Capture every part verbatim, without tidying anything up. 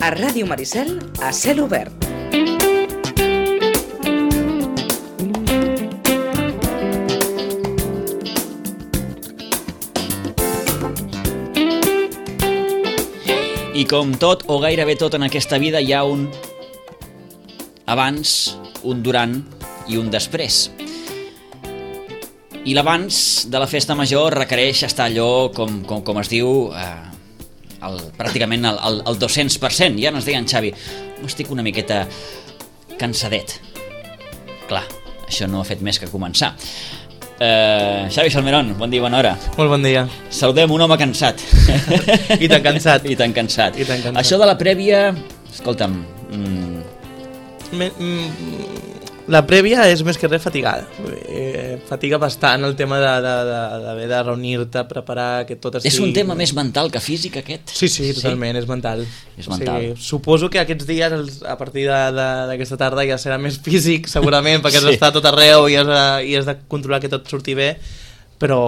A Ràdio Maricel, a cel obert. I com tot, o gairebé tot en aquesta vida, hi ha un abans, un durant i un després. I l'abans de la festa major requereix estar allò, com, com, com es diu, eh, el, pràcticament el, el, el dos-cents per cent. Ja ens deien, Xavi, estic una miqueta cansadet. Clar, això no ha fet més que començar. Uh, Xavi Salmerón, bon dia, bona hora. Molt bon dia. Saludem un home cansat. I tan cansat. I tan cansat. I tan cansat. Això de la prèvia, escolta'm... Mm... Me, mm, la prèvia és més que res fatigada. Eh, fatiga bastant el tema d'haver de, de, de reunir-te, preparar, que tot estigui... És un tema més mental que físic, aquest? Sí, sí, totalment, sí? és mental. És mental. O sigui, suposo que aquests dies, a partir d'aquesta tarda, ja serà més físic, segurament, perquè has sí. d'estar a tot arreu i has, de, i has de controlar que tot surti bé, però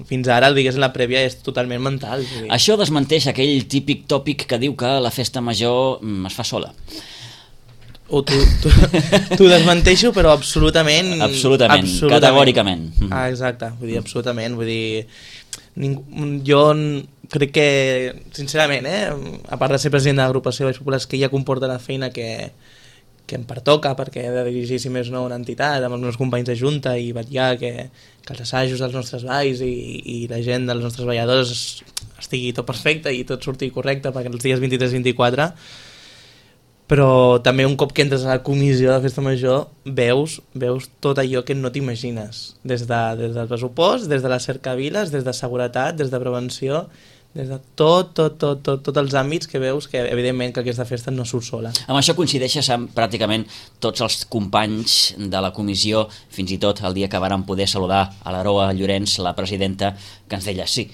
fins ara, diguéssim, la prèvia és totalment mental. Sí. Això desmenteix aquell típic tòpic que diu que la festa major es fa sola. O t'ho desmenteixo, però absolutament... Absolutament, absolutament. Categòricament. Ah, exacte, vull dir, absolutament. Vull dir, ningú, jo crec que, sincerament, eh, a part de ser president de l'agrupació de Valls Populars, que ja comporta la feina que, que em pertoca, perquè he de dirigir, si més no, una entitat amb els meus companys de junta i vetllar que, que els assajos dels nostres balls i, i la gent dels nostres balladors estigui tot perfecte i tot surti correcte perquè els dies vint-i-tres i vint-i-quatre, però també un cop que entres a la comissió de festa major veus, veus tot allò que no t'imagines, des, de, des del pressupost, des de les cercaviles, des de seguretat, des de prevenció, des de tot, tot, tot, tot, tots els àmbits que veus que evidentment que aquesta festa no surt sola. Amb això coincideixes amb pràcticament tots els companys de la comissió, fins i tot el dia que vàrem poder saludar a l'Aroa Llorenç, la presidenta, que ens deia sí,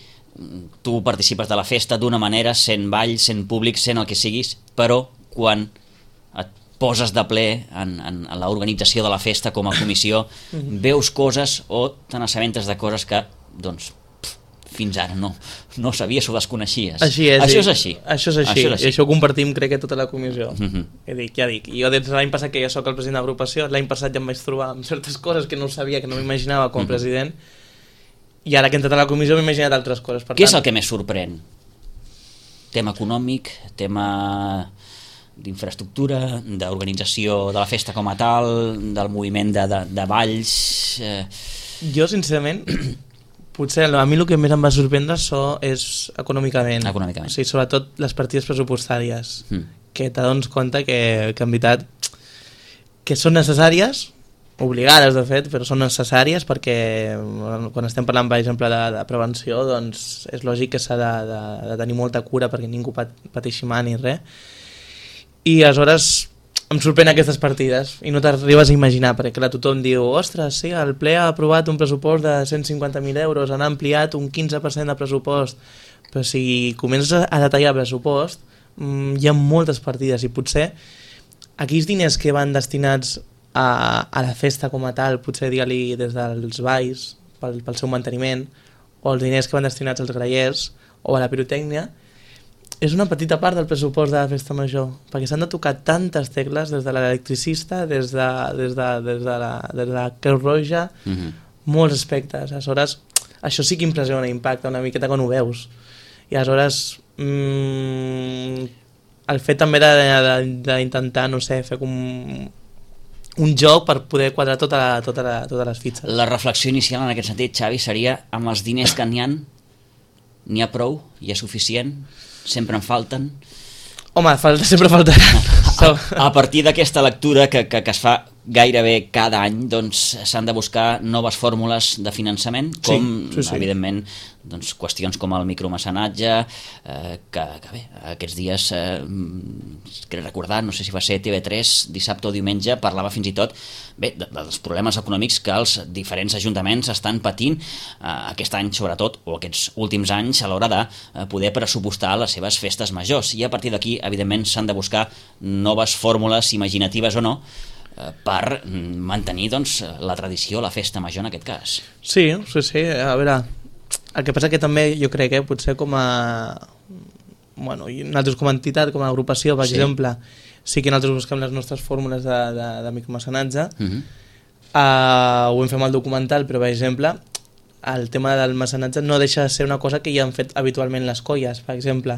tu participes de la festa d'una manera, sent ball, sent públic, sent el que siguis, però quan et poses de ple en, en, en l'organització de la festa com a comissió, veus coses o te n'assabentes de coses que, doncs, pf, fins ara no, no sabies o desconeixies. Així és. Això és així. Això és així. Això és així. I això ho compartim, crec que tota la comissió. Uh-huh. Ja dic, ja dic. Jo des de l'any passat que ja soc el president de l'agrupació, l'any passat ja em vaig trobar amb certes coses que no sabia, que no m'imaginava com a uh-huh. president, i ara que he entrat a la comissió m'he imaginat altres coses. Per Què tant... és el que més sorprèn? Tema econòmic, tema d'infraestructura, d'organització de la festa com a tal, del moviment de, de, de balls... Eh... Jo, sincerament, potser a mi el que més em va sorprendre so, és econòmicament. Econòmicament. O sigui, sobretot les partides pressupostàries, mm. que t'adones compte que, que en veritat que són necessàries, obligades de fet, però són necessàries perquè quan estem parlant, per exemple, de, de prevenció, doncs és lògic que s'ha de, de, de tenir molta cura perquè ningú pat, pateixi mal ni res. I aleshores em sorprèn aquestes partides i no t'arribes a imaginar, perquè clar, tothom diu ostres, sí, el ple ha aprovat un pressupost de cent cinquanta mil euros, han ampliat un quinze per cent de pressupost, però si comences a detallar el pressupost mmm, hi ha moltes partides i potser aquells diners que van destinats a, a la festa com a tal, potser digue-li des dels balls pel, pel seu manteniment, o els diners que van destinats als grallers o a la pirotècnia, és una petita part del pressupost de la festa major, perquè s'han de tocar tantes tecles, des de l'electricista, des de, des de, des de la, des de la Creu Roja, uh-huh. molts aspectes. Aleshores, això sí que impressiona, impacta una miqueta quan ho veus. I aleshores, mmm, el fet també d'intentar, no sé, fer com un joc per poder quadrar tota la, tota la, totes les fitxes. La reflexió inicial en aquest sentit, Xavi, seria amb els diners que n'hi ha, n'hi ha prou? Hi ha suficient? Sempre en falten? Home, falta, sempre faltarà. A, a partir d'aquesta lectura que, que, que es fa gairebé cada any, doncs s'han de buscar noves fórmules de finançament, com sí, sí, sí. evidentment doncs, qüestions com el micromecenatge, eh, que, que bé, aquests dies eh, crec recordar, no sé si va ser T V tres, dissabte o diumenge, parlava fins i tot bé, de, dels problemes econòmics que els diferents ajuntaments estan patint eh, aquest any sobretot, o aquests últims anys, a l'hora de eh, poder pressupostar les seves festes majors, i a partir d'aquí evidentment s'han de buscar noves fórmules imaginatives o no per mantenir doncs, la tradició, la festa major en aquest cas. Sí, sí, sí, a veure, el que passa que també jo crec que potser com a bueno, i nosaltres com a entitat, com a agrupació, per sí. exemple, sí que nosaltres busquem les nostres fórmules de, de, de micromecenatge. Uh-huh. uh, ho hem fet amb el documental, però per exemple el tema del mecenatge no deixa de ser una cosa que ja han fet habitualment les colles. Per exemple,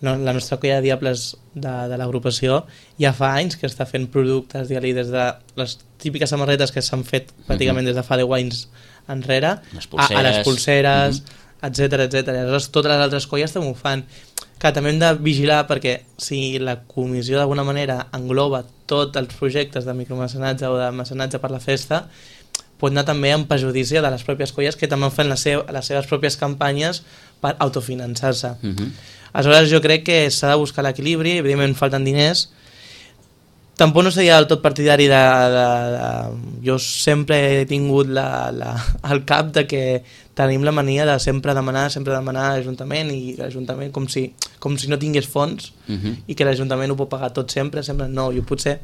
no, la nostra colla de Diables de, de l'agrupació ja fa anys que està fent productes, digue-li, des de les típiques samarretes que s'han fet pràcticament uh-huh. des de fa deu anys enrere, les a, a les pulseres, uh-huh. etcètera, etcètera. Aleshores, totes les altres colles també ho fan. Que també hem de vigilar perquè si la comissió d'alguna manera engloba tots els projectes de micromecenatge o de mecenatge per la festa, pot anar també en perjudici de les pròpies colles que també fan les, seu, les seves pròpies campanyes per autofinançar-se. Uh-huh. Aleshores jo crec que s'ha de buscar l'equilibri, evidentment falten diners. Tampoc no seria del tot partidari de, de, de... Jo sempre he tingut la, la, el cap de que tenim la mania de sempre demanar, sempre demanar a l'Ajuntament i l'Ajuntament com si, com si no tingués fons uh-huh. i que l'Ajuntament ho pot pagar tot sempre, sempre no, jo potser...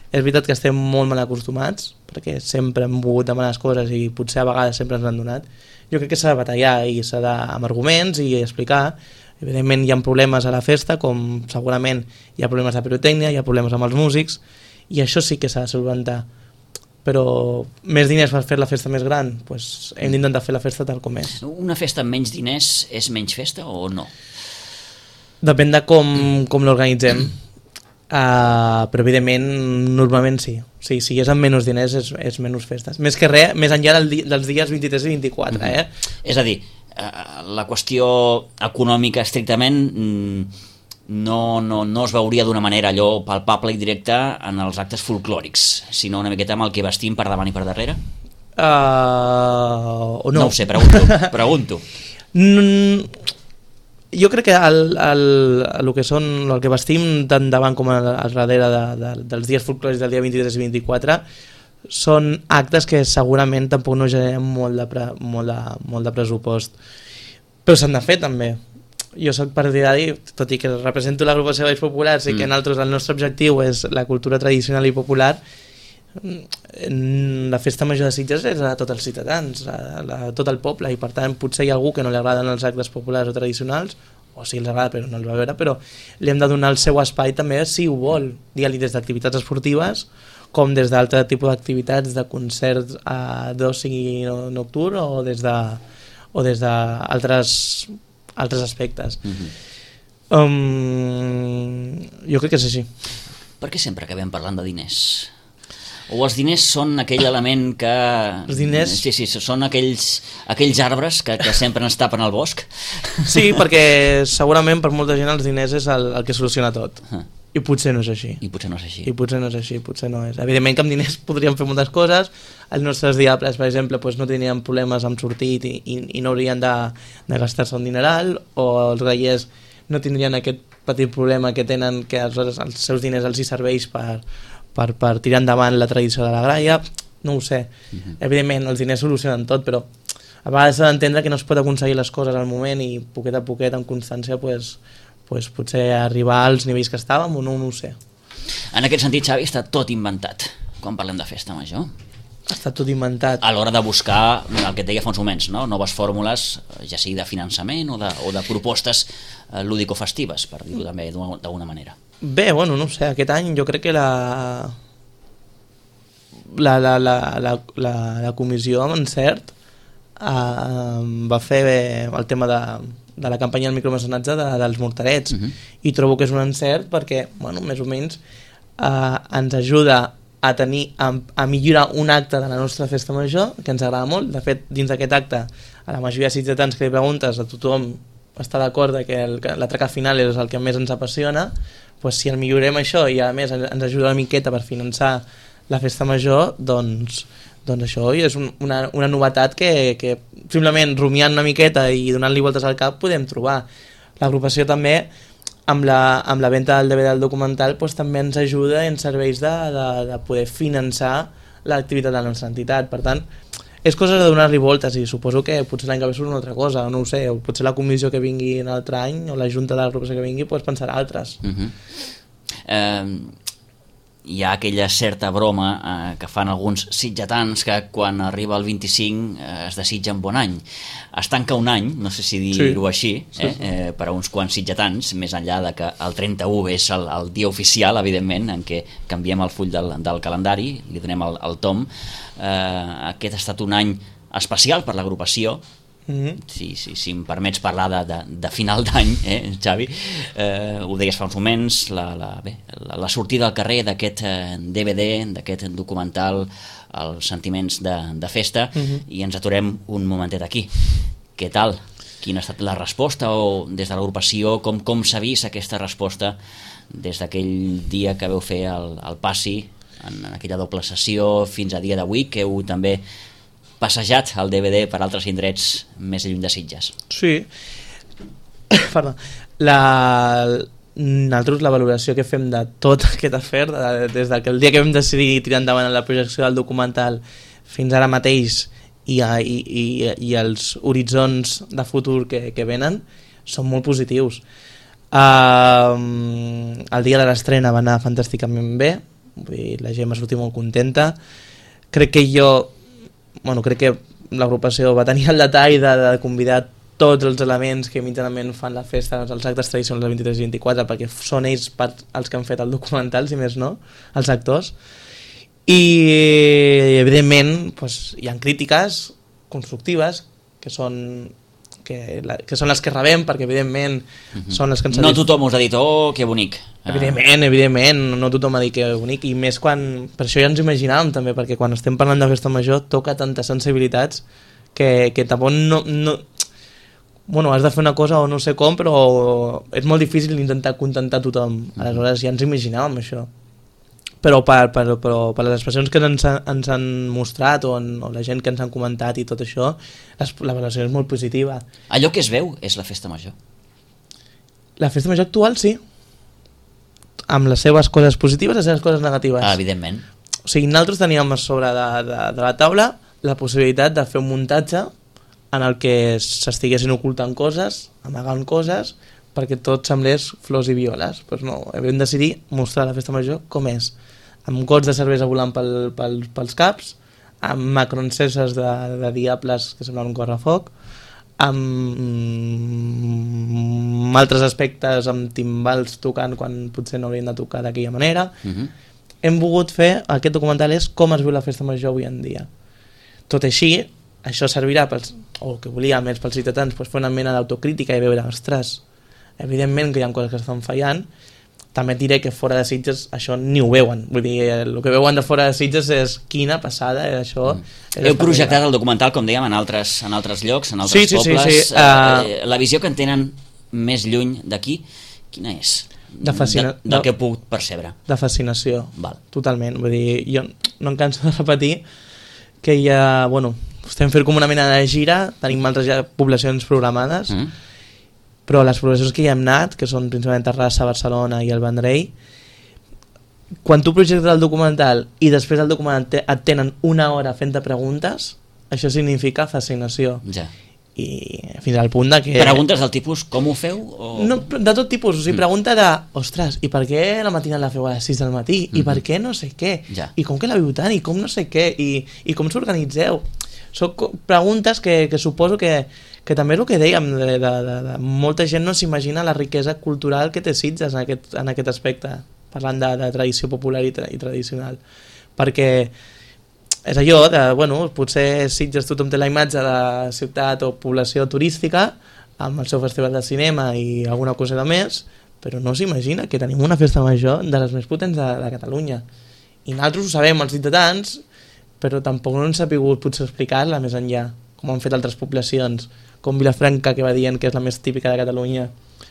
És veritat que estem molt mal acostumats perquè sempre hem volgut demanar les coses i potser a vegades sempre ens han donat. Jo crec que s'ha de batallar i s'ha de, amb arguments i explicar. Evidentment hi ha problemes a la festa, com segurament hi ha problemes de pirotècnia, hi ha problemes amb els músics, i això sí que s'ha de solventar. Però més diners per fer la festa més gran, doncs hem d'intentar fer la festa tal com és. Una festa amb menys diners és menys festa o no? Depèn de com, com l'organitzem. Uh, però evidentment normalment sí. sí si és amb menys diners és, és menys festes, més que res, més enllà del di dels dies vint-i-tres i vint-i-quatre. Mm-hmm. eh? És a dir, uh, la qüestió econòmica estrictament no, no, no es veuria d'una manera allò palpable i directa en els actes folclòrics, sinó una miqueta amb el que vestim per davant i per darrere? Uh, o no. No ho sé, pregunto, pregunto. mm, Jo crec que el, el, el que són el que vestim tant davant com a, a darrere de, de, dels dies folclòrics del dia vint-i-tres i vint-i-quatre són actes que segurament tampoc no generen molt de, pre, molt de, molt de pressupost, però s'han de fer també. Jo soc partidari, tot i que represento l'agrupació de Balls Populars i mm. que nosaltres el nostre objectiu és la cultura tradicional i popular, la festa major de Sitges és a tots els ciutadans, a, a tot el poble, i per tant potser hi ha algú que no li agraden els actes populars o tradicionals, o si els agrada però no els va veure, però li hem de donar el seu espai també si ho vol, digue-li des d'activitats esportives com des d'altre tipus d'activitats de concerts a d'oci nocturn o des de o des d'altres altres aspectes. Mm-hmm. um, jo crec que és així. Per què sempre acabem parlant de diners? O els diners són aquell element que... Els diners? Sí, sí, són aquells, aquells arbres que, que sempre ens tapen al bosc. Sí, perquè segurament per molta gent els diners és el, el que soluciona tot. Uh. I potser no és així. I potser no és així. I potser no és així, potser no és. Evidentment que amb diners podríem fer moltes coses. Els nostres diables, per exemple, doncs no tenien problemes amb sortir i, i, i no haurien de, de gastar-se un dineral, o els grallers no tindrien aquest petit problema que tenen, que aleshores els seus diners els hi serveix per... Per, per tirar endavant la tradició de la gralla, no ho sé. Uh-huh. Evidentment, els diners solucionen tot, però a vegades s'ha d'entendre que no es pot aconseguir les coses al moment i poquet a poquet, amb constància, pues, pues, potser arribar als nivells que estàvem o no, no ho sé. En aquest sentit, Xavi, està tot inventat quan parlem de festa major. Està tot inventat. A l'hora de buscar el que et deia fa uns moments, no? Noves fórmules, ja sigui de finançament o de, o de propostes eh, lúdico-festives, per dir-ho també d'alguna manera. Bé, bueno, no ho sé, aquest any jo crec que la la, la, la, la, la, la comissió amb encert eh, va fer el tema de, de la campanya del micromecenatge de, dels morterets, uh-huh. i trobo que és un encert perquè, bueno, més o menys eh, ens ajuda a tenir, a, a millorar un acte de la nostra festa major, que ens agrada molt. De fet, dins d'aquest acte, a la majoria de sitgetans que li preguntes, a tothom està d'acord que l'atracat final és el que més ens apassiona. Pues si el millorem això i a més ens ajuda una miqueta per finançar la festa major, doncs, doncs això és un, una, una novetat que, que simplement rumiant una miqueta i donant-li voltes al cap podem trobar. L'agrupació també amb la, amb la venda del D V D del documental pues, també ens ajuda i ens serveix de, de, de poder finançar l'activitat de la nostra entitat. Per tant, és cosa de donar-li voltes i suposo que potser l'any que ve surt una altra cosa, no ho sé, o potser la comissió que vingui un altre any o la junta de l'agrupació que vingui pues, pensarà altres. Uh-huh. eh, hi ha aquella certa broma eh, que fan alguns sitgetans que quan arriba el vint-i-cinc eh, es desitgen bon any. Es tanca un any, no sé si dir-ho sí. així, eh, sí, sí. Eh, per a uns quants sitgetans, més enllà de que el trenta-u és el, el dia oficial, evidentment, en què canviem el full del, del calendari, li donem el, el tom. Eh, aquest ha estat un any especial per l'agrupació. Mm-hmm. si, si, si em permets parlar de, de, de final d'any, eh, Xavi, eh, ho deies fa uns moments, la, la, bé, la, la sortida al carrer d'aquest eh, D V D, d'aquest documental, els sentiments de, de festa, mm-hmm. i ens aturem un momentet aquí. Què tal? Quina ha estat la resposta, o des de l'agrupació, com, com s'ha vist aquesta resposta des d'aquell dia que veu fer el, el passi, en, en aquella doble sessió, fins a dia d'avui, que heu també passejat el D V D per altres indrets més lluny de Sitges? Sí. Perdó. La... Nosaltres la valoració que fem de tot aquest afer, de, des del que el dia que vam decidir tirar endavant la projecció del documental fins ara mateix i, a, i, i, i els horitzons de futur que, que venen, són molt positius. Uh, el dia de l'estrena va anar fantàsticament bé, vull dir, la gent va sortir molt contenta. Crec que jo Bueno, crec que l'agrupació va tenir el detall de, de convidar tots els elements que mitjanament fan la festa, els actes tradicionals del vint-i-tres i vint-i-quatre, perquè són ells part, els que han fet el documental, si més no, els actors. I evidentment pues, hi ha crítiques constructives que són que, la, que són les que rebem, perquè evidentment uh-huh. són les que ens no dit... tothom us ha dit, oh, que bonic. Evidentment, evidentment, no tothom ha dit que bonic, i més quan, per això ja ens imaginàvem també, perquè quan estem parlant de festa major toca tantes sensibilitats que, que tampoc no, no... Bueno, has de fer una cosa o no sé com, però és molt difícil intentar contentar tothom, aleshores ja ens imaginàvem això. Però per, per, però per les expressions que ens, ens han mostrat o, en, o la gent que ens han comentat i tot això, les, la valoració és molt positiva. Allò que es veu és la festa major? La festa major actual sí, amb les seves coses positives i les seves coses negatives. Ah, evidentment. O sigui, nosaltres teníem a sobre de, de, de la taula la possibilitat de fer un muntatge en el que s'estiguessin ocultant coses, amagant coses, perquè tot semblés flors i violes. Pues no, vam decidir mostrar la festa major com és, amb gots de cervesa volant pel, pel, pels caps, amb macronceses de, de diables que semblen un correfoc, amb mm, altres aspectes, amb timbals tocant quan potser no haurien de tocar d'aquella manera. Uh-huh. Hem volgut fer, aquest documental és com es viu la festa major avui en dia. Tot així, això servirà pels, o que volíem més pels ciutadans, pues, fer una mena d'autocrítica i veure, ostres, evidentment que hi ha coses que estan fallant. També et diré que fora de Sitges això ni ho veuen, vull dir, el que veuen de fora de Sitges és quina passada, això. Mm. Heu projectat el documental, com dèiem, en altres, en altres llocs, en altres sí, sí, pobles. Sí, sí. Uh... La visió que en tenen més lluny d'aquí, quina és? De fascina... de, del que he pogut percebre. De fascinació, Val. Totalment. Vull dir, jo no em canso de repetir que hi ha, bueno, estem fent com una mena de gira, tenim altres ja poblacions programades, mm. però les poblacions que hi hem anat, que són principalment Terrassa, Barcelona i el Vendrell, quan tu projectes el documental i després del documental et tenen una hora fent-te preguntes, això significa fascinació. Ja. I fins al punt de que... Preguntes del tipus, com ho feu? O... No, de tot tipus, o sigui, mm. pregunta de, ostres, i per què la matinada la feu a les sis del matí? Mm-hmm. I per què no sé què? Ja. I com que la viu tant? I com no sé què? I, i com s'organitzeu? Són preguntes que, que suposo que, que també és el que dèiem, de, de, de, de, molta gent no s'imagina la riquesa cultural que té Sitges en aquest, en aquest aspecte, parlant de, de tradició popular i, tra, i tradicional. Perquè és allò de, bueno, potser Sitges tothom té la imatge de ciutat o població turística, amb el seu festival de cinema i alguna cosa de més, però no s'imagina que tenim una festa major de les més potents de, de Catalunya. I nosaltres ho sabem, els ciutadans, però tampoc no ens ha pogut potser explicar-la més enllà, com han fet altres poblacions, com Vilafranca, que va dient que és la més típica de Catalunya.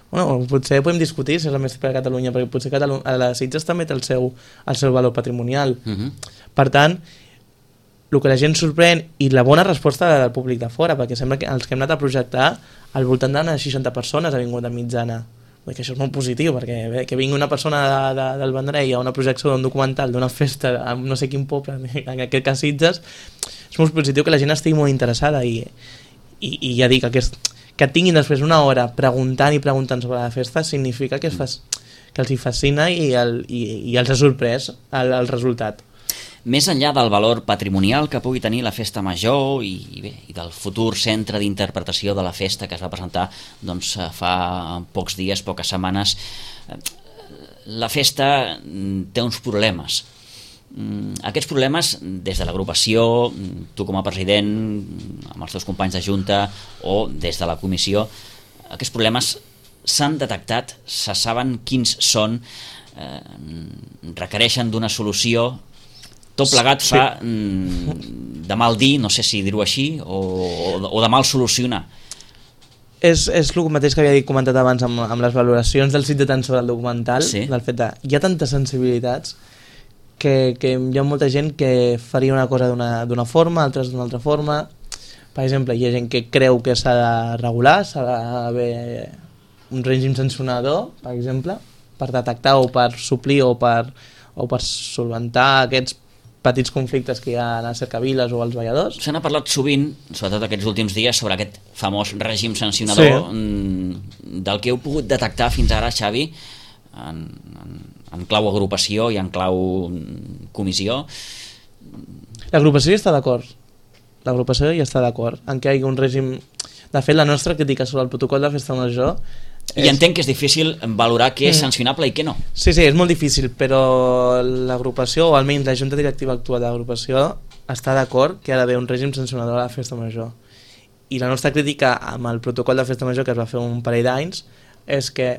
Bueno, potser podem discutir si és la més típica de Catalunya, perquè potser Catalunya, a les Sitges també té el seu, el seu valor patrimonial. Uh-huh. Per tant, el que la gent sorprèn, i la bona resposta del públic de fora, perquè sembla que els que hem anat a projectar, al voltant d'unes seixanta persones ha vingut de mitjana. Que això és molt positiu, perquè bé, que vingui una persona de, de, del Vendrell a una projecció d'un documental, d'una festa en no sé quin poble, en aquest cas Sitges, és molt positiu que la gent estigui molt interessada i, i, i ja dic, aquest, que et tinguin després una hora preguntant i preguntant sobre la festa significa que, es fas, que els hi fascina i, el, i, i els ha sorprès el, el resultat. Més enllà del valor patrimonial que pugui tenir la festa major i, i, bé, i del futur centre d'interpretació de la festa que es va presentar doncs, fa pocs dies, poques setmanes, la festa té uns problemes. Aquests problemes, des de l'agrupació, tu com a president, amb els teus companys de junta o des de la comissió, aquests problemes s'han detectat, se saben quins són, eh, requereixen d'una solució. Tot plegat fa sí. de mal dir, no sé si dir-ho així, o, o de mal solucionar. És, és el mateix que havia comentat abans amb, amb les valoracions del sitio tant sobre el documental, sí. del fet de, hi ha tantes sensibilitats que, que hi ha molta gent que faria una cosa d'una forma, altres d'una altra forma. Per exemple, hi ha gent que creu que s'ha de regular, s'ha d'haver un règim sancionador, per exemple, per detectar o per suplir o per, o per solventar aquests petits conflictes que hi ha a les cercaviles o als balladors. Se n'ha parlat sovint, sobretot aquests últims dies, sobre aquest famós règim sancionador, sí. del que heu pogut detectar fins ara, Xavi, en, en, en clau agrupació i en clau comissió. L'agrupació hi està d'acord. L'agrupació hi està d'acord en què hi hagi un règim... De fet, la nostra crítica sobre el protocol de festa major... I és... entenc que és difícil valorar què és sancionable i què no. Sí, sí, és molt difícil, però l'agrupació, o almenys la junta directiva actual de l'agrupació, està d'acord que ha d'haver un règim sancionador a la festa major. I la nostra crítica amb el protocol de festa major que es va fer un parell d'anys és que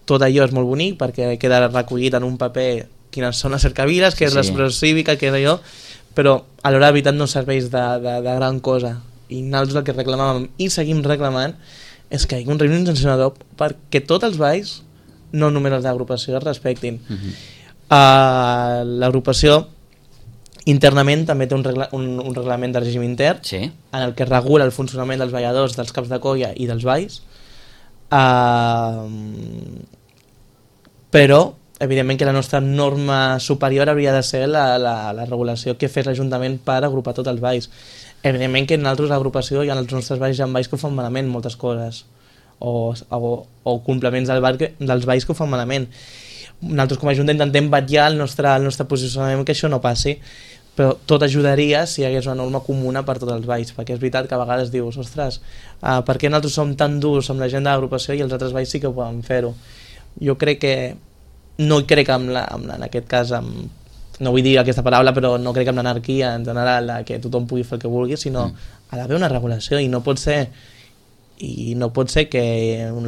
tot allò és molt bonic perquè queda recollit en un paper quines són les cercaviles, què és sí. l'expressió cívica, què és allò, però a l'hora de veritat no serveix de, de, de gran cosa. I nosaltres el que reclamàvem i seguim reclamant és que hi ha un règim sancionador perquè tots els balls, no només els d'agrupació, es respectin. Uh-huh. uh, L'agrupació internament també té un, regla, un, un reglament de règim intern sí. en el que regula el funcionament dels balladors, dels caps de colla i dels balls. Uh, però evidentment que la nostra norma superior hauria de ser la, la, la regulació que fes l'Ajuntament per agrupar tots els balls. Evidentment que en altres agrupació i en els nostres balls hi ha balls que ho fan malament moltes coses o, o, o complements del ball que, dels balls que ho fan malament. Nosaltres com a Junta intentem vetllar el nostre, el nostre posicionament que això no passi, però tot ajudaria si hi hagués una norma comuna per tots els balls, perquè és veritat que a vegades dius, ostres, uh, per què nosaltres som tan durs amb la gent de l'agrupació i els altres balls sí que poden fer-ho? Jo crec que no crec amb la, amb la, en aquest cas amb no vull dir aquesta paraula, però no crec que amb l'anarquia en general, que tothom pugui fer el que vulgui, sinó mm. ha d'haver una regulació i no pot ser i no pot ser que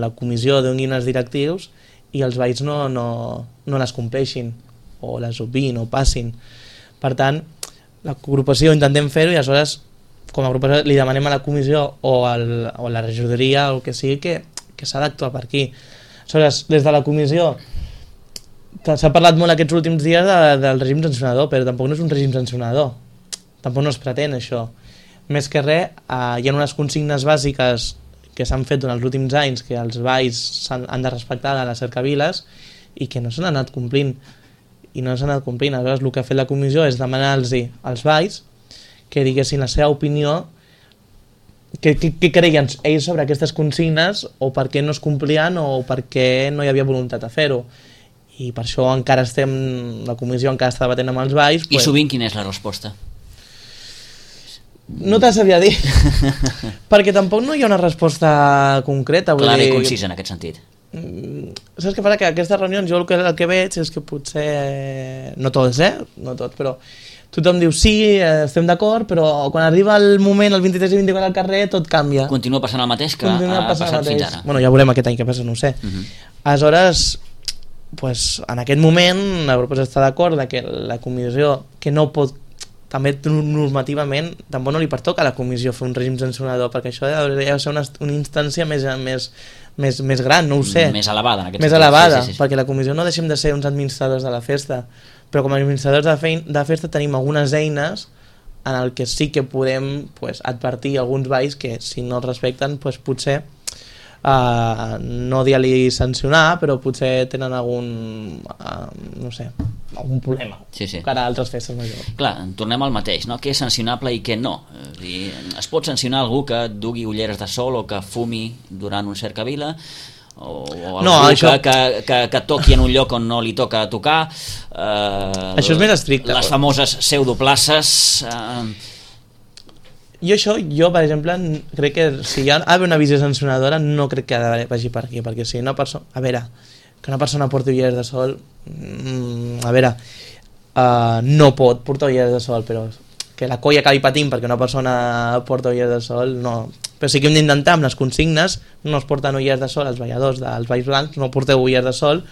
la comissió doni unes directius i els balls no, no, no les compleixin o les obviïn o passin. Per tant, l'agrupació intentem fer-ho i aleshores com a agrupació li demanem a la comissió o, al, o a la regidoria o el que sigui que, que s'ha d'actuar per aquí. Aleshores, des de la comissió s'ha parlat molt aquests últims dies de, del règim sancionador, però tampoc no és un règim sancionador. Tampoc no es pretén això. Més que res, eh, hi ha unes consignes bàsiques que s'han fet durant els últims anys que els balls han, han de respectar a les cercaviles i que no s'han anat complint. I no s'han anat complint. Aleshores, el que ha fet la comissió és demanar-los als balls que diguessin la seva opinió, què creien ells sobre aquestes consignes o per què no es complien o per què no hi havia voluntat de fer-ho. I per això encara estem, la comissió encara està debatent amb els balls. I pues, sovint quina és la resposta? No te sabia dir, perquè tampoc no hi ha una resposta concreta. Clara dir... i concisa en aquest sentit. Saps què passa? Que aquestes reunions jo el que, el que veig és que potser, no tots, eh? No tots, però tothom diu sí, estem d'acord, però quan arriba el moment, el vint-i-tres i vint-i-quatre al carrer, tot canvia. Continua passant el mateix que Continua ha passat mateix. fins ara. Bueno, ja veurem aquest any què passa, no ho sé. Uh -huh. Aleshores, pues, en aquest moment la proposta està d'acord que la comissió que no pot, també normativament tampoc no li pertoca a la comissió fer un règim sancionador, perquè això hauria de ser una, una instància més, més, més, més gran, no ho sé, més elevada, en aquest més sentit. elevada, sí, sí, sí. perquè la comissió no deixem de ser uns administradors de la festa, però com a administradors de, fein, de festa tenim algunes eines en el que sí que podem pues, advertir alguns balls que si no els respecten pues, potser Uh, no dir-li sancionar, però potser tenen algun uh, no sé, algun problema sí, sí. cara a altres festes majors. Clar, tornem al mateix, no? Què és sancionable i què no? És dir, es pot sancionar algú que dugui ulleres de sol o que fumi durant un cercavila o, o no, algú això... que, que, que, que toqui en un lloc on no li toca tocar, eh, això és més estricte. Les famoses pseudoplaces... Eh... Jo això, jo per exemple, crec que si hi ha d'haver una visió sancionadora no crec que vagi per aquí, perquè si una persona... A veure, que una persona porti ulleres de sol, mm, a veure, uh, no pot portar ulleres de sol, però que la colla acabi patint perquè una persona porta ulleres de sol, no. Però sí que hem d'intentar amb les consignes, no es porten ulleres de sol als balladors dels Balls Blancs, no porteu ulleres de sol,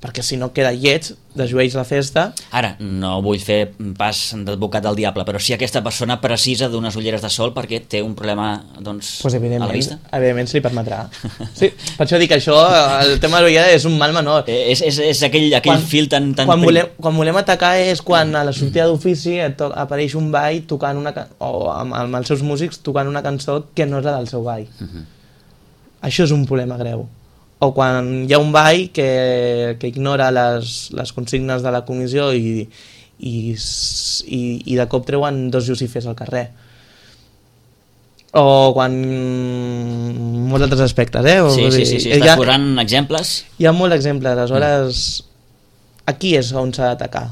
perquè si no queda lleig, desllueix la festa. Ara, no vull fer pas d'advocat del diable, però si aquesta persona precisa d'unes ulleres de sol perquè té un problema, doncs, pues a la vista. Evidentment se li permetrà. Sí, per això dic que això, el tema de l'ullera és un mal menor. És, és, és aquell, aquell quan, fil tan... tan quan, volem, quan volem atacar és quan a la sortida d'ofici apareix un ball tocant una, o amb, amb els seus músics tocant una cançó que no és la del seu ball. Uh-huh. Això és un problema greu. O quan hi ha un ball que, que ignora les, les consignes de la comissió i, i, i, i de cop treuen dos lucifers al carrer. O quan... molts altres aspectes, eh? Sí, sí, sí, sí. Estàs posant exemples. Hi ha molts exemples, aleshores aquí és on s'ha d'atacar,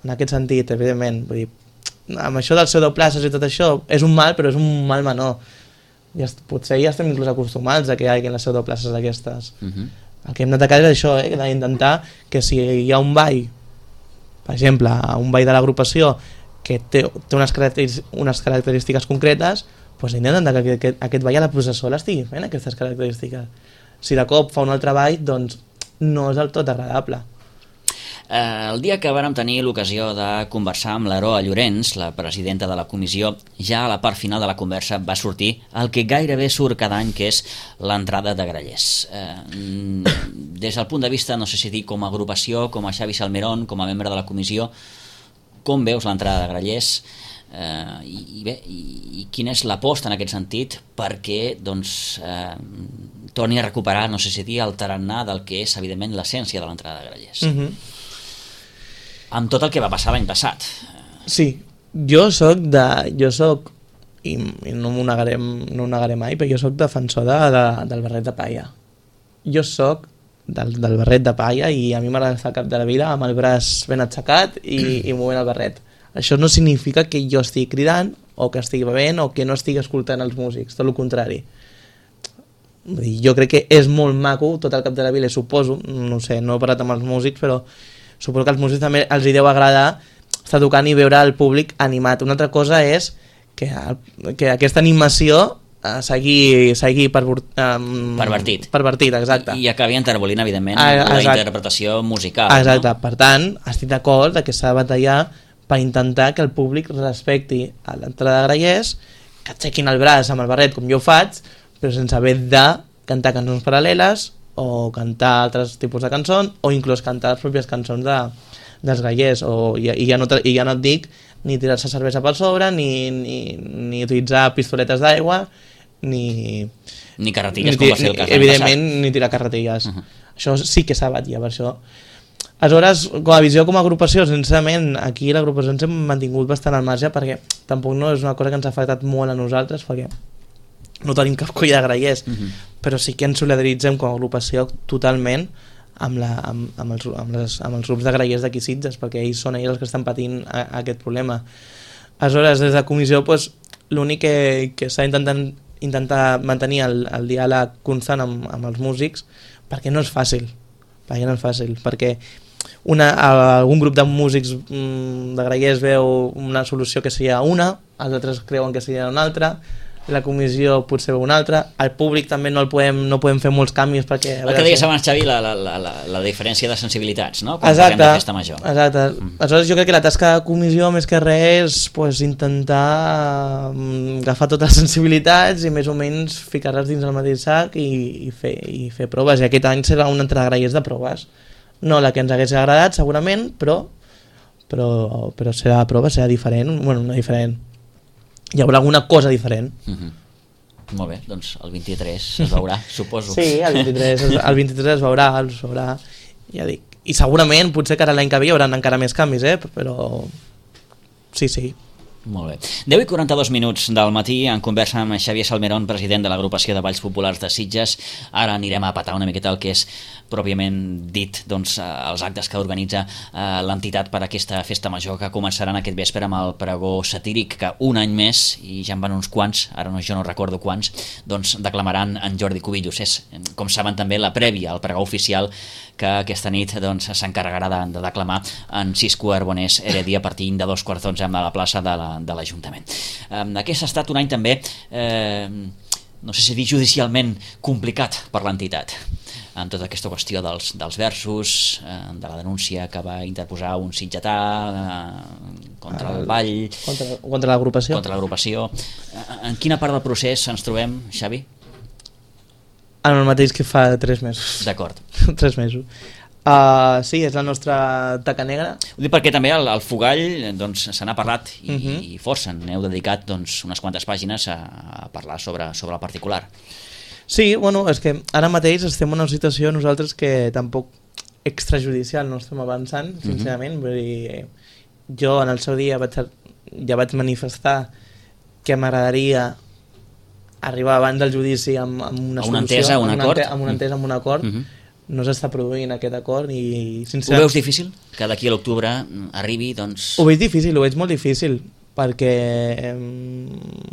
en aquest sentit, evidentment. Vull dir, amb això dels pseudoplaces i tot això, és un mal, però és un mal menor. Ja, potser ja estem inclús acostumats a que hi hagi les pseudoplaces d'aquestes. Uh-huh. El que hem d'atacar és això, eh? d'intentar que si hi ha un ball, per exemple, un ball de l'agrupació que té, té unes, característiques, unes característiques concretes, doncs intentar que aquest, aquest ball a la processó l'estigui fent aquestes característiques. Si de cop fa un altre ball, doncs no és del tot agradable. Eh, el dia que vàrem tenir l'ocasió de conversar amb l'Aroa Llorenç, la presidenta de la comissió, ja a la part final de la conversa va sortir el que gairebé surt cada any, que és l'entrada de grallers. Eh, des del punt de vista, no sé si dir com a agrupació, com a Xavi Salmerón, com a membre de la comissió, com veus l'entrada de grallers? Eh, i, i bé, i, i quina és l'aposta en aquest sentit perquè doncs, eh, torni a recuperar, no sé si dir, el tarannà del que és evidentment l'essència de l'entrada de grallers. Mm-hmm. Amb tot el que va passar l'any passat. Sí, jo soc de... jo soc i, i no m'ho negaré, no ho negaré mai, però jo soc defensor de, de, del barret de palla. Jo soc del, del barret de palla i a mi m'agrada estar al cap de la vida amb el braç ben aixecat i, i movent el barret. Això no significa que jo estigui cridant o que estigui bevent o que no estigui escoltant els músics, tot el contrari. Vull dir, jo crec que és molt maco tot el cap de la vida, suposo, no sé, no he parlat amb els músics, però suposo que als músics també els hi deu agradar estar tocant i veure el públic animat. Una altra cosa és que, que aquesta animació eh, sigui, sigui per, um, pervertit. Pervertit, exacte. I, i acabi enterbolint, evidentment, ah, la exacte. interpretació musical. Exacte, no? Per tant, estic d'acord que s'ha de batallar per intentar que el públic respecti a l'entrada de grallers, que aixequin el braç amb el barret com jo ho faig, però sense haver de cantar cançons paral·leles o cantar altres tipus de cançons o inclús cantar les pròpies cançons de, dels grallers o, i, i, ja no, i ja no et dic ni tirar-se cervesa per sobre ni, ni, ni utilitzar pistoletes d'aigua ni... ni carretilles, ni, com va ser el cas l'any evidentment passat. Ni tirar carretilles. Uh-huh. Això sí que s'ha batllat per això. Aleshores, com a visió, com a agrupació, sincerament, aquí l'agrupació ens hem mantingut bastant al marge perquè tampoc no és una cosa que ens ha afectat molt a nosaltres perquè no tenim cap colla de grallers, uh-huh. però sí que ens solidaritzem com a agrupació totalment amb, la, amb, amb, els, amb, les, amb els grups de grallers d'aquí Sitges, perquè ells són ells els que estan patint a, a aquest problema. Aleshores, des de la comissió, pues, l'únic que, que s'ha intentat intentar mantenir el, el diàleg constant amb, amb els músics, perquè no és fàcil, perquè no és fàcil, perquè una, algun grup de músics mmm, de grallers veu una solució que seria una, els altres creuen que seria una altra, la comissió potser una altra, al públic també no el podem, no podem fer molts canvis perquè... El que deies abans, Xavi, la, la, la, la diferència de sensibilitats, no? Quan exacte, parlem de festa major. Exacte. Mm. Aleshores jo crec que la tasca de comissió més que res és pues, intentar um, agafar totes les sensibilitats i més o menys ficar-les dins el mateix sac i, i, fer, i fer proves. I aquest any serà una entrada de grallers de proves. No la que ens hagués agradat segurament, però, però, però serà de prova, serà diferent, bueno, no diferent. Hi haurà alguna cosa diferent. Uh-huh. Molt bé, doncs el vint-i-tres es veurà, suposo. Sí, el vint-i-tres, el vint-i-tres es veurà, es veurà, ja dic. I segurament, potser que ara l'any que ve hi haurà encara més canvis, eh? Però sí, sí. Molt bé. deu i quaranta-dos minuts del matí en conversa amb Xavier Salmerón, president de l'agrupació de Balls Populars de Sitges. Ara anirem a patar una miqueta el que és pròpiament dit, doncs, els actes que organitza eh, l'entitat per a aquesta festa major que començaran aquest vespre amb el pregó satíric que un any més, i ja en van uns quants, ara no, jo no recordo quants, doncs declamaran en Jordi Cubillos. És, com saben, també la prèvia al pregó oficial que aquesta nit doncs, s'encarregarà de, de declamar en Cisco Arbonés Heredia partint de dos quarts d'onze a la plaça de la de l'Ajuntament. Eh, aquest ha estat un any també, eh, no sé si dir judicialment complicat per l'entitat, amb tota aquesta qüestió dels, dels versos, eh, de la denúncia que va interposar un sitgetà eh, contra el, el ball, contra, contra l'agrupació. Contra l'agrupació. Eh, en quina part del procés ens trobem, Xavi? En el mateix que fa tres mesos. D'acord. tres mesos. Uh, sí, és la nostra taca negra. Ho dic perquè també al, al Fogall doncs, se n'ha parlat i, uh -huh. i força, n'heu dedicat doncs, unes quantes pàgines a, a parlar sobre, sobre el particular. Sí, bueno, és que ara mateix estem en una situació nosaltres que tampoc extrajudicial no estem avançant, sincerament. Uh -huh. Vull dir, jo en el seu dia vaig, ja vaig manifestar que m'agradaria arribar abans del judici amb, amb una, una solució, entesa, un amb acord. Una, amb una entesa, amb un acord. Uh -huh. No s'està produint aquest acord i sincerament... Ho veus difícil? Que d'aquí a l'octubre arribi, doncs... Ho veig difícil, ho veig molt difícil, perquè eh,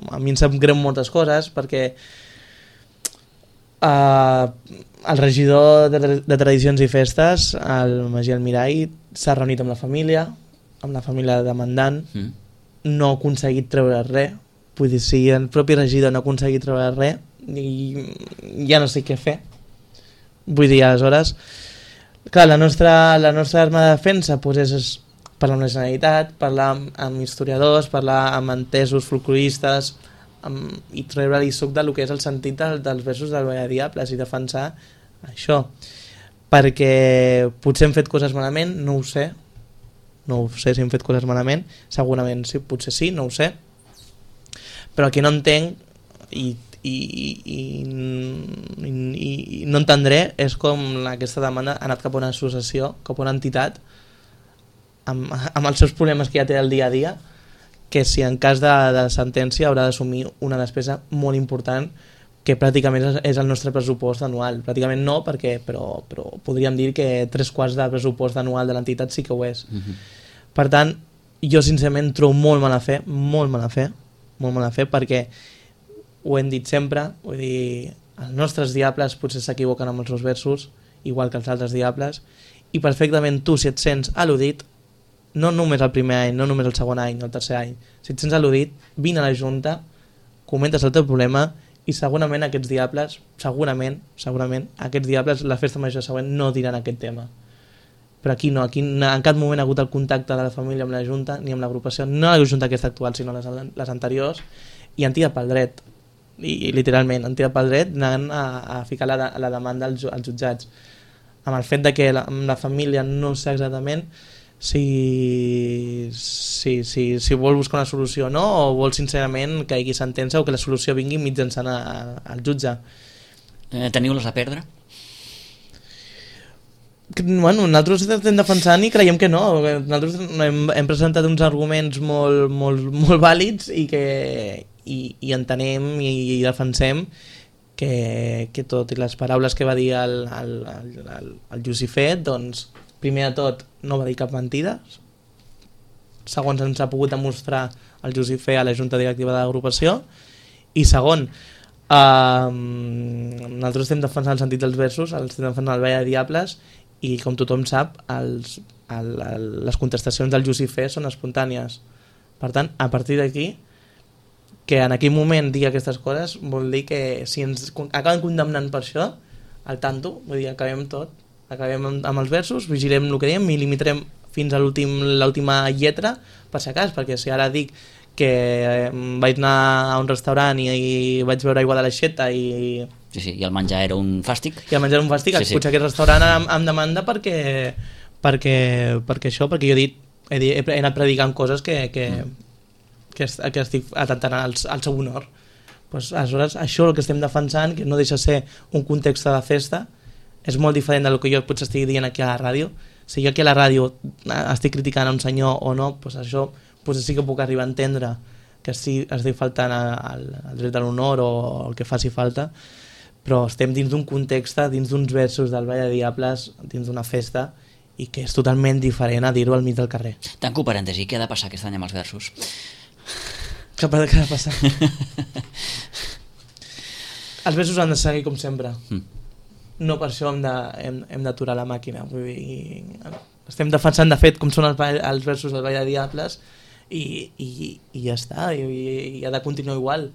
a mi em sap greu moltes coses, perquè eh, el regidor de, de Tradicions i Festes, el Magí Almirall, s'ha reunit amb la família, amb la família demandant, mm. no ha aconseguit treure res, vull dir, si el propi regidor no ha aconseguit treure res, i ja no sé què fer. Vull dir, aleshores, clar, la nostra, la nostra arma de defensa pues, és parlar amb la Generalitat, parlar amb, amb historiadors, parlar amb entesos folcloristes amb, i treure-li suc del que és el sentit del, dels versos del Ball de Diables i defensar això. Perquè potser hem fet coses malament, no ho sé, no ho sé si hem fet coses malament, segurament sí, potser sí, no ho sé, però el que no entenc i I, i, i, i, i no entendré és com aquesta demanda ha anat cap a una associació, cap a una entitat amb, amb els seus problemes que ja té el dia a dia, que si en cas de, de sentència haurà d'assumir una despesa molt important que pràcticament és, és el nostre pressupost anual. Pràcticament no, perquè, però, però podríem dir que tres quarts del pressupost anual de l'entitat sí que ho és. Uh-huh. Per tant, jo sincerament trobo molt mala fe, molt mala fe, molt mala fe, perquè ho hem dit sempre, vull dir, els nostres diables potser s'equivoquen amb els seus versos, igual que els altres diables, i perfectament tu, si et sents al·ludit, no només el primer any, no només el segon any, el tercer any, si et sents al·ludit, vine a la Junta, comentes el teu problema, i segurament aquests diables, segurament, segurament, aquests diables, la festa major següent, no diran aquest tema. Però aquí no, aquí en cap moment ha hagut el contacte de la família amb la Junta, ni amb l'agrupació, no la Junta aquesta actual, sinó les, les anteriors, i han tirat pel dret. I literalment han tirat pel dret anant a, a ficar la, la demanda als, als jutjats, amb el fet de que la, la família no sé exactament si, si, si, si vol buscar una solució o no, o vol sincerament que hi hagi sentència o que la solució vingui mitjançant a, a, al jutge. Eh, teniu-les a perdre? Bueno, nosaltres estem defensant i creiem que no. Nosaltres hem, hem presentat uns arguments molt, molt, molt vàlids i que i, i entenem i, i defensem que, que tot i les paraules que va dir el, el, el, el, el Jusifet, doncs primer de tot no va dir cap mentida, segons ens ha pogut demostrar el Jusifet a la Junta Directiva de l'agrupació, i segon, eh, nosaltres estem defensant el sentit dels versos, estem defensant el Ball de Diables, i com tothom sap els, el, el, les contestacions del Jusifet són espontànies. Per tant, a partir d'aquí, que en aquell moment digui aquestes coses vol dir que si ens acaben condemnant per això, al tanto, vull dir, acabem tot, acabem amb, amb els versos, vigilem el que diem i limitarem fins a l'última lletra per si acas, perquè si ara dic que eh, vaig anar a un restaurant i, i vaig beure aigua de l'aixeta i... Sí, sí, i el menjar era un fàstic. I el menjar era un fàstic, sí, sí. Potser aquest restaurant em, em demanda perquè, perquè, perquè això, perquè jo he dit, he, dit, he anat predicant coses que... que mm. Que, que estic atentant al, al seu honor. Pues, aleshores, això el que estem defensant, que no deixa ser un context de festa, és molt diferent del que jo potser estic dient aquí a la ràdio. Si jo aquí a la ràdio estic criticant a un senyor o no, pues això potser sí que puc arribar a entendre que sí estic faltant al, al dret a l'honor o el que faci falta, però estem dins d'un context, dins d'uns versos del Ball de Diables, dins d'una festa, i que és totalment diferent a dir-ho al mig del carrer. Tanco parèntesi, què ha de passar aquest any amb els versos? Què ha de passar? Els versos han de seguir com sempre. Mm. No per això hem, de, hem, hem d'aturar la màquina. Vull dir, estem defensant, de fet, com són els, els versos del Ball de Diables, i, i, i ja està, i, i ha de continuar igual.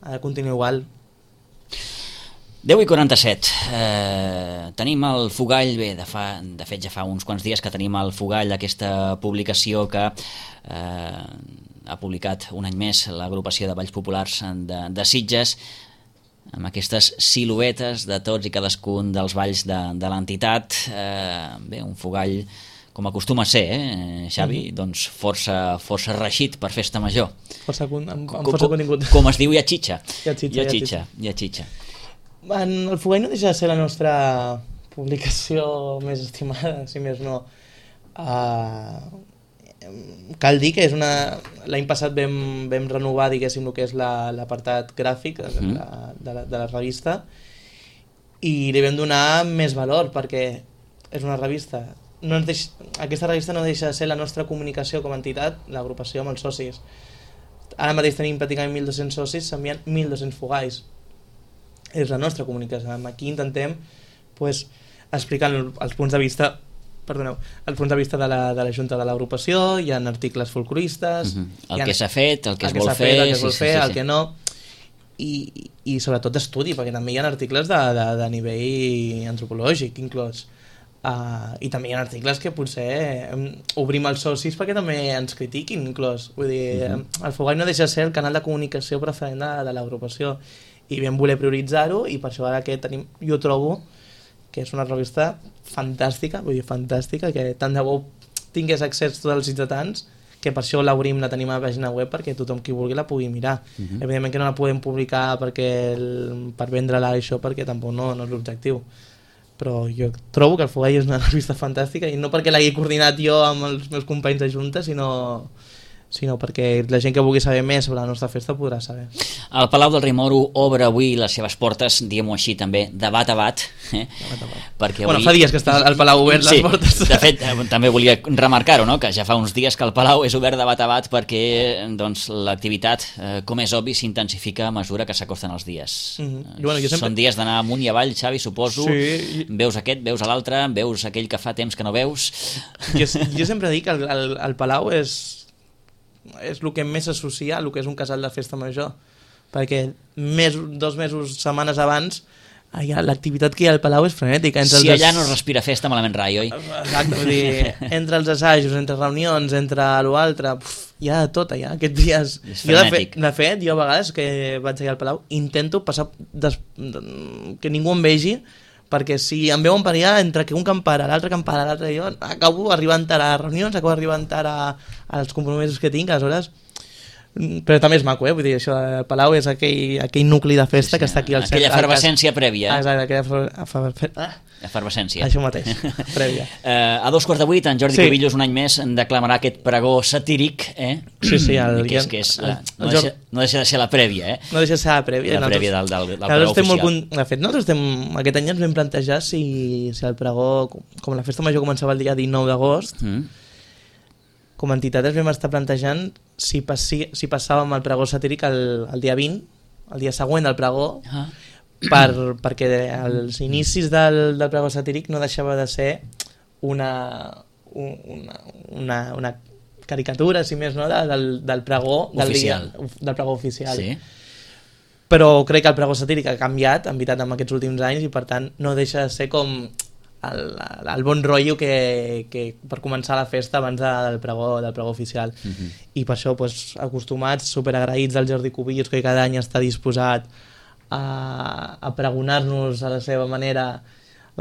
Ha de continuar igual. deu i quaranta-set, eh, tenim el Fogall, bé, de, fa, de fet ja fa uns quants dies que tenim el Fogall, aquesta publicació que eh, ha publicat un any més l'agrupació de Balls Populars de, de Sitges, amb aquestes siluetes de tots i cadascun dels balls de, de l'entitat, eh, bé, un Fogall com acostuma a ser, eh, Xavi, mm-hmm. doncs força, força reixit per festa major. Força, amb, amb força com, contingut. Com es diu, hi ha xitxa. Hi ha xitxa, hi ha xitxa. Hi ha xitxa. En el Fogall no deixa de ser la nostra publicació més estimada, si més no. Uh, cal dir que és una... L'any passat vam, vam renovar, diguéssim, el que és la, l'apartat gràfic de, mm. la, de, la, de la revista, i li vam donar més valor perquè és una revista. No ens deix... Aquesta revista no deixa de ser la nostra comunicació com a entitat, l'agrupació amb els socis. Ara mateix tenim pràcticament mil dos-cents socis, s'envien mil dos-cents fogalls. És la nostra comunicació. Aquí intentem pues, explicar els punts de vista perdoneu, els punts de vista de la, de la Junta de l'agrupació, hi ha articles folcloristes... Uh-huh. El que s'ha fet, el que el es vol que fer... Fet, el que es vol sí, fer, sí, sí, el que no... I, i sobretot d'estudi, perquè també hi ha articles de, de, de nivell antropològic inclòs. Uh, I també hi ha articles que potser um, obrim els socis perquè també ens critiquin inclòs. Vull dir, uh-huh. el Fogall no deixa de ser el canal de comunicació preferent de, de l'agrupació, i vam voler prioritzar-ho, i per això ara que tenim, jo trobo que és una revista fantàstica, vull dir, fantàstica, que tant de bo tingués accés tots els ciutadans, que per això l'obrim, la tenim a la pàgina web perquè tothom qui vulgui la pugui mirar. Uh-huh. Evidentment que no la podem publicar perquè el, per vendre-la això, perquè tampoc no, no és l'objectiu. Però jo trobo que el Fogall és una revista fantàstica, i no perquè l'hagi coordinat jo amb els meus companys de Junta, sinó... sinó perquè la gent que vulgui saber més sobre la nostra festa podrà saber. El Palau del Rei Moro obre avui les seves portes, diguem-ho així també, de bat a bat. Eh? De bat a bat. Perquè bueno, avui... fa dies que està el Palau obert, sí, les portes. De fet, també volia remarcar-ho, no? Que ja fa uns dies que el Palau és obert de bat a bat perquè doncs, l'activitat, eh, com és obvi, s'intensifica a mesura que s'acosten els dies. Mm-hmm. Bueno, sempre... Són dies d'anar amunt i avall, Xavi, suposo. Sí. Veus aquest, veus l'altre, veus aquell que fa temps que no veus. Jo, jo sempre dic que el, el, el Palau és... és el que més s'associa a el que és un casal de festa major, perquè mes, dos mesos, setmanes abans, allà, l'activitat que hi ha al Palau és frenètica. Entre si els allà no es respira festa, malament rai, oi? Exacte, vull dir, entre els assajos, entre reunions, entre l'altre, hi ha de tot allà, aquests dies. Jo, de, fet, de fet, jo a vegades que vaig allà al Palau intento passar des... que ningú em vegi, perquè si em veuen per allà, entre que un campara, l'altre campara, l'altre, jo acabo arribant a les reunions, acabo arribant a, als compromisos que tinc, aleshores... Però també és maco, eh? Vull dir, això del Palau és aquell, aquell nucli de festa, sí, sí, que està aquí al centre. Aquella efervescència prèvia. Ah, exacte, aquella efervescència. Ah. Efervescència. Això mateix, prèvia. eh, a dos quarts de vuit, en Jordi sí. Cubillos un any més declamarà aquest pregó satíric, eh? Sí, sí. El, que és, que és la, no, deixa, no deixa de ser la prèvia, eh? No deixa de ser la prèvia. La prèvia del, del, del pregó oficial. Molt, de fet, nosaltres estem, aquest any ens vam plantejar si, si el pregó, com la festa major començava el dia dinou d'agost, mm. com a entitat ens vam estar plantejant si, passi, si passàvem el pregó satíric el, el dia vint, el dia següent del pregó, ah. per, perquè els inicis del, del pregó satíric no deixava de ser una, una, una, una caricatura, si més no, del, del pregó del, dia, del pregó oficial. Sí. Però crec que el pregó satíric ha canviat, en veritat, en aquests últims anys, i per tant no deixa de ser com... El, el bon rotllo que, que per començar la festa abans de, del, pregó, del pregó oficial. Uh-huh. I per això pues, acostumats, superagraïts al Jordi Cubillos, que cada any està disposat a, a pregonar-nos a la seva manera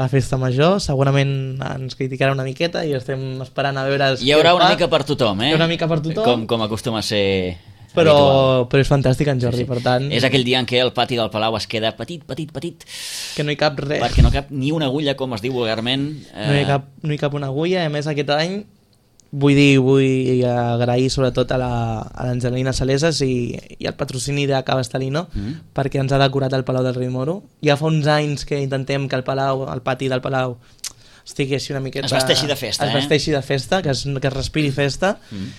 la festa major. Segurament ens criticarà una miqueta i estem esperant a veure... Hi haurà una mica per tothom, eh? Hi haurà una mica per tothom. Com, com acostuma a ser... Però, però és fantàstic en Jordi, sí, sí. Per tant... És aquell dia en què el pati del Palau es queda petit, petit, petit... Que no hi cap res. Perquè no cap ni una agulla, com es diu vulgarment. Eh... No, hi cap, no hi cap una agulla, i a més aquest any vull dir, vull agrair sobretot a l'Angelina Saleses i, i al patrocini de Cava Estalino mm. perquè ens ha decorat el Palau del Rei Moro. Ja fa uns anys que intentem que el Palau, el pati del Palau estigui així una miqueta... Es vesteixi de festa, es eh? Es vesteixi de festa, que es, que es respiri festa. Mm.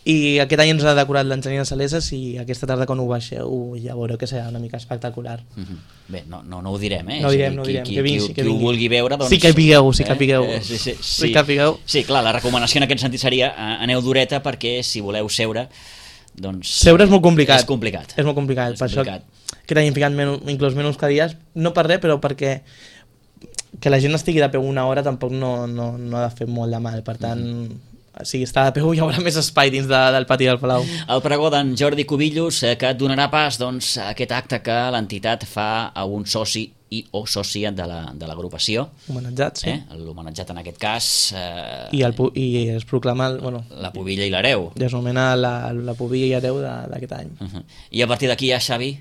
I aquest any ens ha decorat l'Angelina Saleses i aquesta tarda quan ho baixeu ja veureu que serà una mica espectacular. Mm-hmm. Bé, no, no, no ho direm, eh? No ho direm, no ho qui, direm. Qui, que vingui, qui, que qui ho vingui. vulgui veure, doncs... Sí que pigueu, sí que pigueu. Eh? Sí, sí, sí. Sí que pigueu. Sí, clar, la recomanació en aquest sentit seria eh, aneu d'horeta perquè si voleu seure, doncs... Seure és molt complicat. És complicat. És molt complicat. És per complicat. Això que t'hagin ficat menys, inclús menys cadires, no per res, però perquè que la gent estigui de peu una hora tampoc no, no, no ha de fer molt de mal. Per tant, mm-hmm. si està de peu hi haurà més espai dins de, del pati del Palau. El pregó d'en Jordi Cubillos eh, que donarà pas doncs, a aquest acte que l'entitat fa a un soci i o sòcia de l'agrupació. Homenatjat, sí. Eh? L'homenatjat en aquest cas... Eh, I, el, I es proclama... El, bueno, la pubilla i l'hereu. I es nomena la, la pubilla i hereu d'aquest any. Uh -huh. I a partir d'aquí ja, Xavi...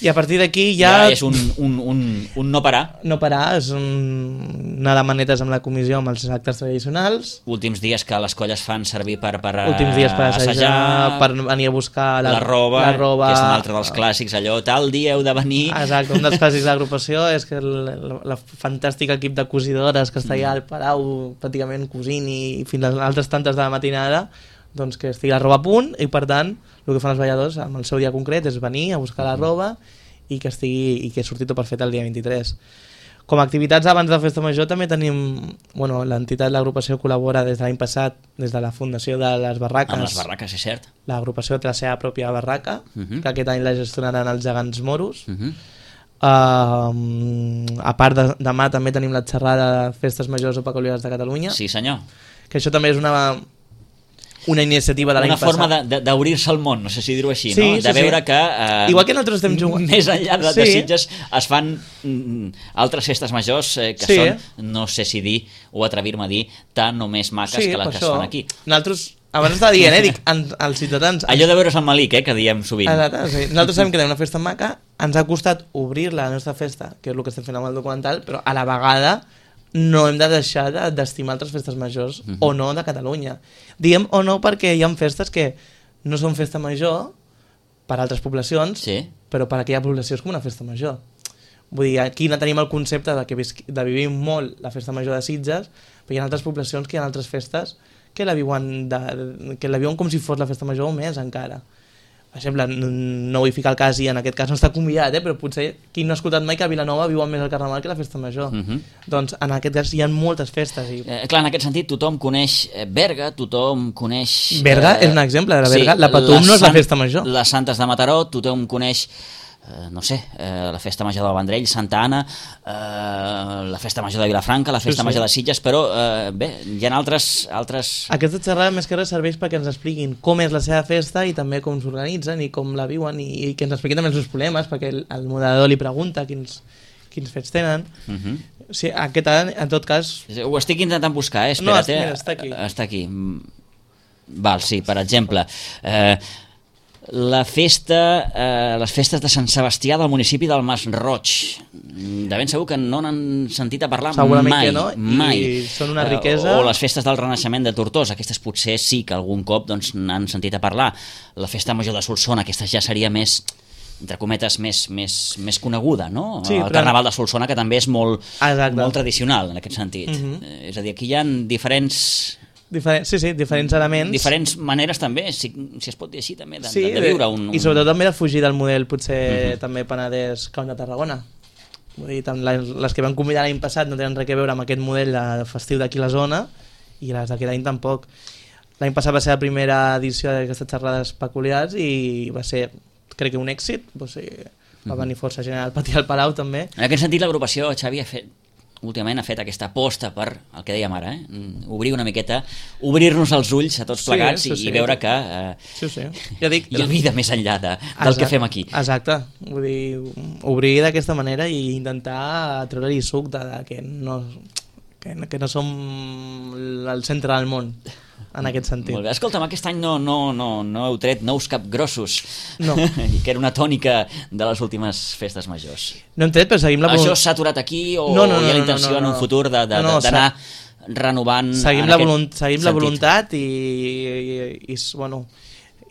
I a partir d'aquí ja... Ja és un, un, un, un no parar. No parar, és un... anar de manetes amb la comissió amb els actes tradicionals. Últims dies que les colles fan servir per, per Últims dies per assajar, assajar, per venir a buscar la, la, roba, la roba, que és un altre dels clàssics, allò, tal dia heu de venir... Exacte, un dels clàssics de l'agrupació és que el, el, el fantàstic equip de cosidores que està allà al Palau pràcticament cosint i fins a altres tantes de la matinada, doncs que estigui la roba a punt i per tant el que fan els balladors amb el seu dia concret és venir a buscar la roba i que estigui i que surti tot perfecte el dia vint-i-tres. Com a activitats abans de la Festa Major també tenim, bueno, l'entitat, l'agrupació col·labora des de l'any passat, des de la fundació de les barraques. Amb les barraques, és cert. L'agrupació té la seva pròpia barraca, uh-huh. que aquest any la gestionaran els gegants moros. Uh-huh. uh, a part de, demà també tenim la xerrada de Festes Majors o Peculiars de Catalunya. Sí, senyor. Que això també és una... una iniciativa de l'any passat. Una forma d'obrir-se al món, no sé si dir-ho així, sí, no? Sí, de veure sí. que... Eh, Igual que nosaltres estem jugant... Més enllà de, sí. de Sitges es fan mm, altres festes majors eh, que sí. són, no sé si dir o atrevir-me a dir, tan o més maques sí, que les que es fan aquí. Nosaltres, abans estava dient, eh, dic, en, els ciutadans... Allò de veure's al Malic, eh, que diem sovint. Exacte, sí. Nosaltres sabem que tenim una festa maca, ens ha costat obrir-la, la nostra festa, que és el que estem fent amb el documental, però a la vegada no hem de deixar d'estimar altres festes majors uh-huh. o no de Catalunya. Diem o no perquè hi ha festes que no són festa major per a altres poblacions, sí. però per a aquella població és com una festa major. Vull dir, aquí no tenim el concepte de que de vivim molt la festa major de Sitges, però hi ha altres poblacions que hi ha altres festes que la viuen, de, que la viuen com si fos la festa major o més encara. Per exemple, no vull ficar el cas i en aquest cas no està convidat, eh? Però potser qui no ha escoltat mai que a Vilanova viuen més el Carnaval que la festa major. Uh -huh. Doncs en aquest cas hi ha moltes festes. I... Eh, clar, en aquest sentit tothom coneix Berga, tothom coneix... Berga eh... és un exemple de la Berga. Sí, la Patum no és la festa major. Les Santes de Mataró, tothom coneix... Eh, no sé, eh, la Festa Major del Vendrell, Santa Anna, eh, la Festa Major de Vilafranca, la Festa sí, sí. Major de Sitges, però eh, bé, hi ha altres, altres... Aquesta xerrada més que res serveix perquè ens expliquin com és la seva festa i també com s'organitzen i com la viuen i, i que ens expliquin també els seus problemes, perquè el, el moderador li pregunta quins, quins fets tenen. Uh -huh. O sigui, aquest any, en tot cas... Ho estic intentant buscar, eh? Espera't, no, mira, està aquí. Està aquí. Val, sí, per exemple... Eh, la festa, eh, les festes de Sant Sebastià del municipi del Masroig. De ben segur que no n'han sentit a parlar segurament mai. Que no, mai. I són una riquesa... O, o les festes del Renaixement de Tortosa, aquestes potser sí que algun cop doncs, n'han sentit a parlar. La festa major de Solsona, aquesta ja seria més, entre cometes, més, més, més coneguda, no? Sí, el però... Carnaval de Solsona, que també és molt, Exacte. molt tradicional en aquest sentit. Uh-huh. eh, és a dir, aquí hi ha diferents... Diferent, sí, sí, diferents elements. Diferents maneres també, si, si es pot dir així, també, de, sí, de, de viure un, un... I sobretot també de fugir del model, potser uh-huh. també Penedès Camp de Tarragona. Vull dir, les, les que van convidar l'any passat no tenen res a veure amb aquest model de festiu d'aquí a la zona i les d'aquest any tampoc. L'any passat va ser la primera edició d'aquestes xerrades peculiars i va ser, crec que un èxit, o sigui, va venir força gent al pati del Palau també. En aquest sentit l'agrupació, Xavi, ha fet últimament ha fet aquesta aposta per el que dèiem ara, eh? Obrir una miqueta, obrir-nos els ulls a tots plegats sí, sí, sí. i veure que eh, sí, sí. Ja dic, hi ha vida més enllà de, del exacte, que fem aquí. Exacte, vull dir, obrir d'aquesta manera i intentar treure-hi suc de, de que, no, que, que no som el centre del món en aquest sentit. Molt bé. Escolta'm, aquest any no, no, no, no heu tret nous capgrossos, no. i que era una tònica de les últimes festes majors. No hem tret, però seguim la... Això s'ha aturat aquí o no, no, no, hi ha la intenció no, no, no. en un futur d'anar no, no, renovant... Seguim, la, volunt, seguim la voluntat i, i, i, i, bueno,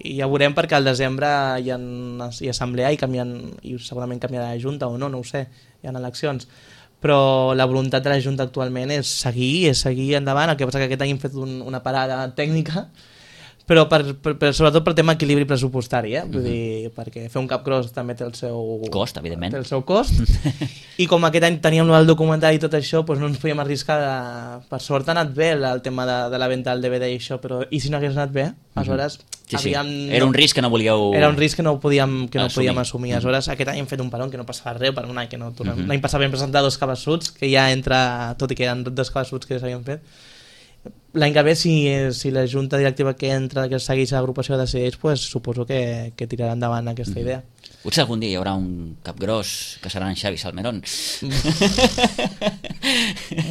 i ja veurem perquè al desembre hi ha, hi ha assemblea i, canvien, i segurament canviarà la Junta o no, no ho sé, hi ha eleccions. Però la voluntat de la Junta actualment és seguir, és seguir endavant, el que passa que aquest any hem fet un, una parada tècnica, però per, per, per, sobretot per tema equilibri pressupostari, eh? Vull uh-huh. dir, perquè fer un capcross també té el seu cost, evidentment. Té el seu cost, i com aquest any teníem el documentari i tot això, doncs no ens podíem arriscar de... Per sort ha anat bé el, el tema de, de la venda del D V D i això, però i si no hagués anat bé, aleshores... Uh-huh. Sí, sí. Era un risc que no volíeu... Era un risc que no podíem, que no assumir. podíem assumir. Aleshores, aquest any hem fet un parón que no passava res, per un any que no tornem. Uh-huh. L'any passat vam presentar dos cabeçuts, que ja entra, tot i que eren dos cabeçuts que ja s'havien fet. L'any que ve, si, si la junta directiva que entra, que segueix l'agrupació decideix, pues, suposo que, que tirarà endavant aquesta mm-hmm. idea. Potser algun dia hi haurà un capgros que serà en Xavi Salmerón.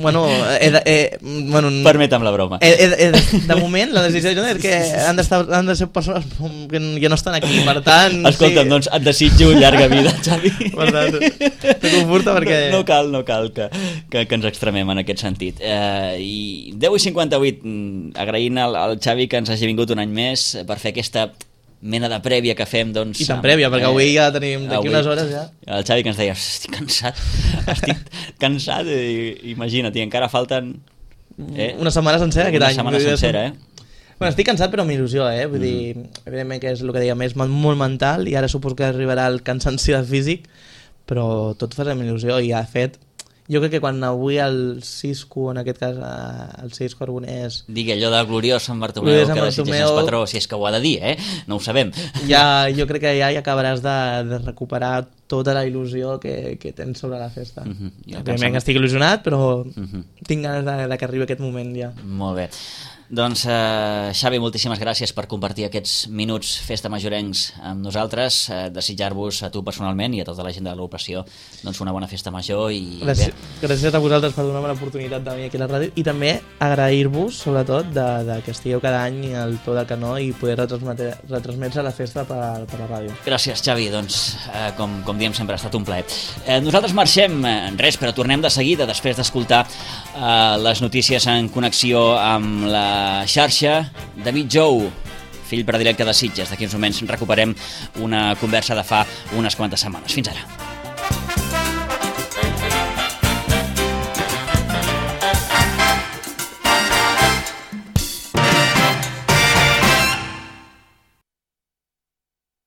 bueno, he de, he, bueno, permetem la broma. He, he, he, de moment, la decisió és que han, han de ser persones que ja no estan aquí, per tant... Escolta'm, sí. doncs et desitjo llarga vida, Xavi. Per tant, te conforta perquè... No, no cal, no cal que, que, que ens extremem en aquest sentit. Eh, I deu i cinquanta-vuit, agraint al, al Xavi que ens hagi vingut un any més per fer aquesta mena de prèvia que fem, doncs... I tan prèvia, perquè eh, avui ja tenim d'aquí unes hores ja. El Xavi que ens deia, estic cansat, estic cansat, i, imagina't, i encara falten... Eh, una setmana sencera aquest una any. Una setmana sencera, eh? Bueno, estic cansat però amb il·lusió, eh? Vull mm. dir, evidentment que és el que dèiem, és molt mental, i ara suposo que arribarà el cansanci físic, però tot fa amb il·lusió, i ha fet... Jo crec que quan avui el Cisco, en aquest cas el Cisco Arbonès... Digui allò de gloriós Sant Bartomeu, que desitges el patró, si és que ho ha de dir, eh? No ho sabem. Ja, jo crec que ja hi acabaràs de, de recuperar tota la il·lusió que, que tens sobre la festa. Uh-huh. Òbviament que estic il·lusionat, però uh-huh. tinc ganes de, de que arribi aquest moment ja. Molt bé. Doncs, eh, Xavi, moltíssimes gràcies per compartir aquests minuts festa majorencs amb nosaltres, eh, desitjar-vos a tu personalment i a tota la gent de l'agrupació doncs una bona festa major i... Gràcies, gràcies a vosaltres per donar-me l'oportunitat de venir aquí a la ràdio i també agrair-vos, sobretot, de, de que estigueu cada any al peu del canó i poder retransmetre, retransmetre la festa per, per la ràdio. Gràcies, Xavi, doncs, eh, com, com diem sempre, ha estat un plaer. Eh, nosaltres marxem, en res, però tornem de seguida després d'escoltar eh, les notícies en connexió amb la xarxa. David Jou, fill predilecte de Sitges. D'aquí uns moments recuperem una conversa de fa unes quantes setmanes. Fins ara.